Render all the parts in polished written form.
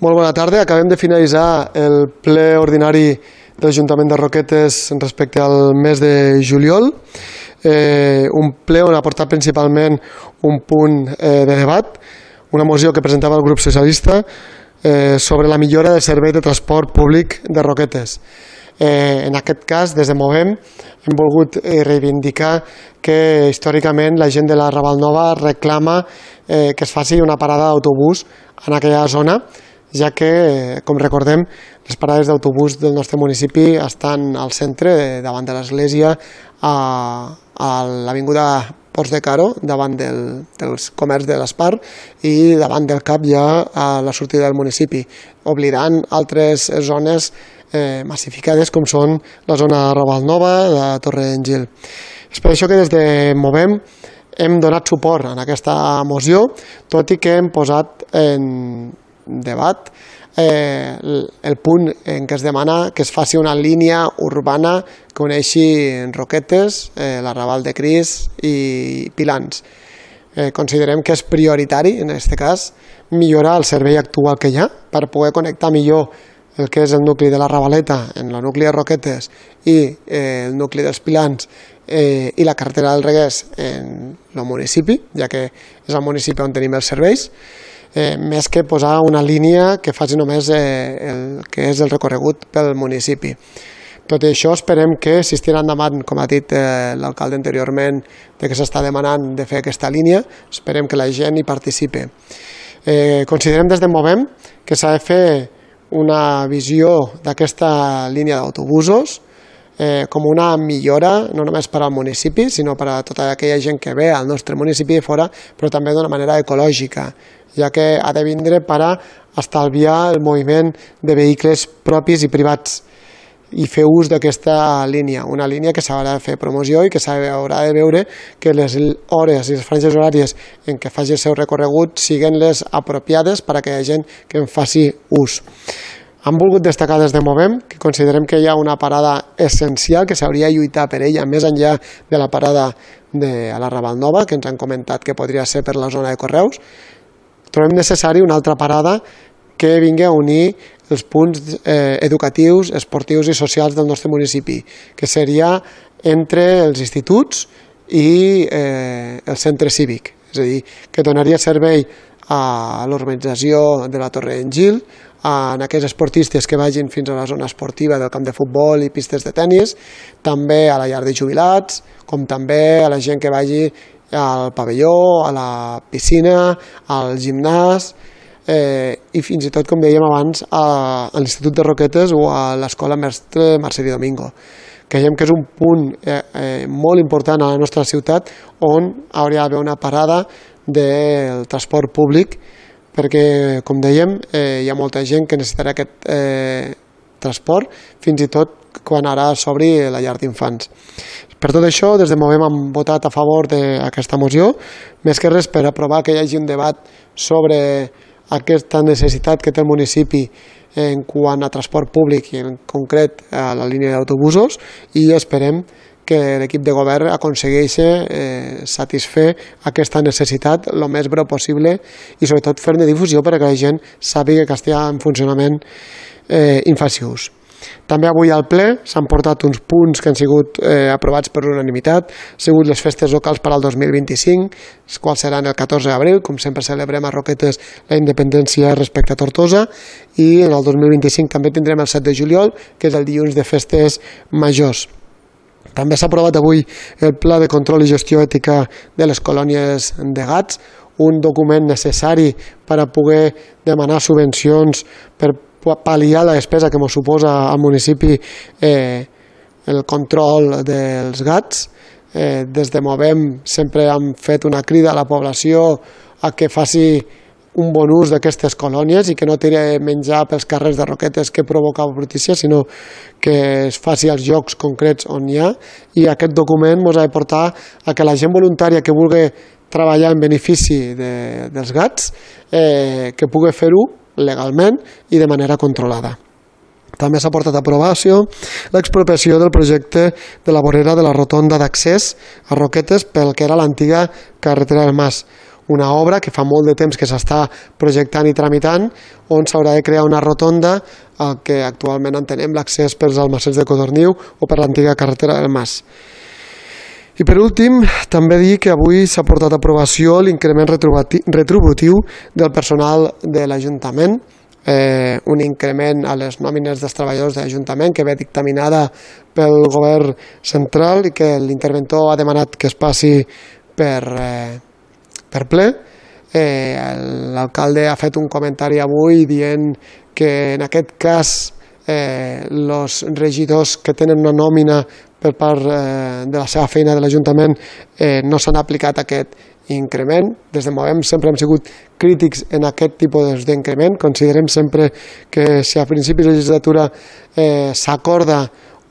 Molt bona tarda. Acabem de finalitzar el ple ordinari de l'Ajuntament de Roquetes respecte al mes de juliol. Un ple on ha portat principalment un punt de debat, una moció que presentava el grup socialista sobre la millora del servei de transport públic de Roquetes. En aquest cas, des de Movem, hem volgut reivindicar que històricament la gent de la Raval Nova reclama que es faci una parada d'autobús en aquella zona, ja que, com recordem, les parades d'autobús del nostre municipi estan al centre, davant de l'església, a l'avinguda Ports de Caro, davant dels comerç de l'Espar i davant del CAP ja a la sortida del municipi, oblidant altres zones massificades com són la zona de Raval Nova, la Torre d'Engil. És per això que des de Movem hem donat suport a aquesta moció, tot i que hem posat en debat el punt en què es demana que es faci una línia urbana que uneixi Roquetes, la Raval de Cris i Pilans. Considerem que és prioritari, en aquest cas, millorar el servei actual que hi ha per poder connectar millor el que és el nucli de la Ravaleta en el nucli de Roquetes i el nucli dels Pilans i la carretera del Reguers en el municipi, ja que és el municipi on tenim els serveis, més que posar una línia que faci només el que és el recorregut pel municipi. Tot i això, esperem que si es tira endavant, com ha dit l'alcalde anteriorment, de que s'està demanant de fer aquesta línia, esperem que la gent hi participi. Considerem des de Movem que s'ha de fer una visió d'aquesta línia d'autobusos com una millora, no només per al municipi, sinó per a tota aquella gent que ve al nostre municipi de fora, però també d'una manera ecològica, ja que ha de vindre per a estalviar el moviment de vehicles propis i privats i fer ús d'aquesta línia, una línia que s'haurà de fer promoció i que s'haurà de veure que les hores i les franges horàries en què faci el seu recorregut siguin les apropiades per a aquella gent que en faci ús. Hem volgut destacar des de Movem que considerem que hi ha una parada essencial que s'hauria de lluitar per ella més enllà de la parada de la Raval Nova, que ens han comentat que podria ser per la zona de Correus. Trobem necessari una altra parada que vingui a unir els punts educatius, esportius i socials del nostre municipi, que seria entre els instituts i el centre cívic, és a dir, que donaria servei a l'urbanització de la Torre d'Engil, en aquells esportistes que vagin fins a la zona esportiva del camp de futbol i pistes de tennis, també a la llar de jubilats, com també a la gent que vagi al pavelló, a la piscina, al gimnàs i fins i tot, com dèiem abans, a l'Institut de Roquetes o a l'Escola Mestre Mercedi Domingo. Creiem que és un punt molt important a la nostra ciutat on hauria d'haver una parada del transport públic perquè, com dèiem, hi ha molta gent que necessitarà aquest transport, fins i tot quan ara s'obri la llar d'infants. Per tot això, des de Movem hem votat a favor d'aquesta moció, més que res per aprovar que hi hagi un debat sobre aquesta necessitat que té el municipi en quant a transport públic i en concret a la línia d'autobusos, i esperem que l'equip de govern aconsegueixi satisfer aquesta necessitat el més breu possible i sobretot fer-ne difusió perquè la gent sàpiga que està en funcionament i en faci ús. També avui al ple s'han portat uns punts que han sigut aprovats per unanimitat, han sigut les festes locals per al 2025, les quals seran el 14 d'abril, com sempre celebrem a Roquetes la independència respecte a Tortosa, i en el 2025 també tindrem el 7 de juliol, que és el dilluns de festes majors. També s'ha aprovat avui el Pla de Control i Gestió Ètica de les Colònies de Gats, un document necessari per a poder demanar subvencions per pal·liar la despesa que ens suposa al municipi el control dels gats. Des de Movem sempre hem fet una crida a la població a que faci un bon ús d'aquestes colònies i que no tiri menjar pels carrers de Roquetes que provoca brutícia, sinó que es faci als llocs concrets on hi ha, i aquest document ens ha de portar a que la gent voluntària que vulgui treballar en benefici dels gats que pugui fer-ho legalment i de manera controlada. També s'ha portat a aprovació l'expropiació del projecte de la vorera de la rotonda d'accés a Roquetes pel que era l'antiga carretera del Mas, una obra que fa molt de temps que s'està projectant i tramitant, on s'haurà de crear una rotonda al que actualment entenem l'accés pels almacenes de Codorniu o per l'antiga carretera del Mas. I per últim, també dir que avui s'ha portat a aprovació l'increment retributiu del personal de l'Ajuntament, un increment a les nòmines dels treballadors de l'Ajuntament que ve dictaminada pel govern central i que l'interventor ha demanat que es passi per ple. L'alcalde ha fet un comentari avui dient que en aquest cas els regidors que tenen una nòmina per part de la seva feina de l'Ajuntament no s'han aplicat aquest increment. Des de Movem sempre hem sigut crítics en aquest tipus d'increment. Considerem sempre que si a principis de legislatura s'acorda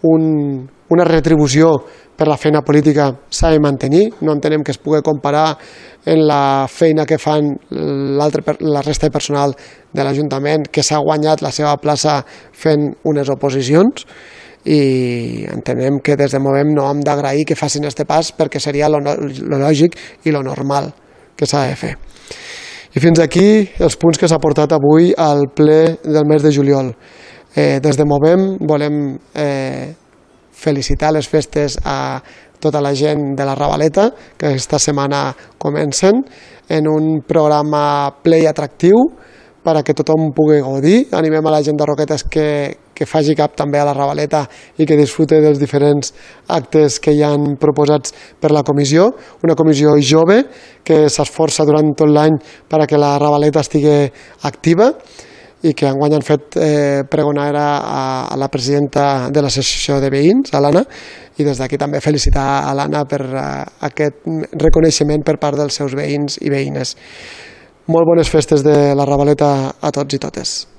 una retribució per la feina política s'ha de mantenir. No entenem que es pugui comparar en la feina que fan la resta de personal de l'Ajuntament que s'ha guanyat la seva plaça fent unes oposicions, i entenem que des de Movem no hem d'agrair que facin aquest pas perquè seria lo lògic i lo normal que s'ha de fer. I fins aquí els punts que s'ha portat avui al ple del mes de juliol. Des de Movem volem felicitar les festes a tota la gent de la Ravaleta, que aquesta setmana comencen, en un programa ple i atractiu perquè tothom pugui gaudir. Animem a la gent de Roquetes que faci cap també a la Ravaleta i que disfrute dels diferents actes que hi han proposats per la comissió. Una comissió jove que s'esforça durant tot l'any perquè la Ravaleta estigui activa i que enguany han fet pregonera a la presidenta de l'associació de veïns, a l'Anna, i des d'aquí també felicitar a l'Anna per aquest reconeixement per part dels seus veïns i veïnes. Molt bones festes de la Ravaleta a tots i totes.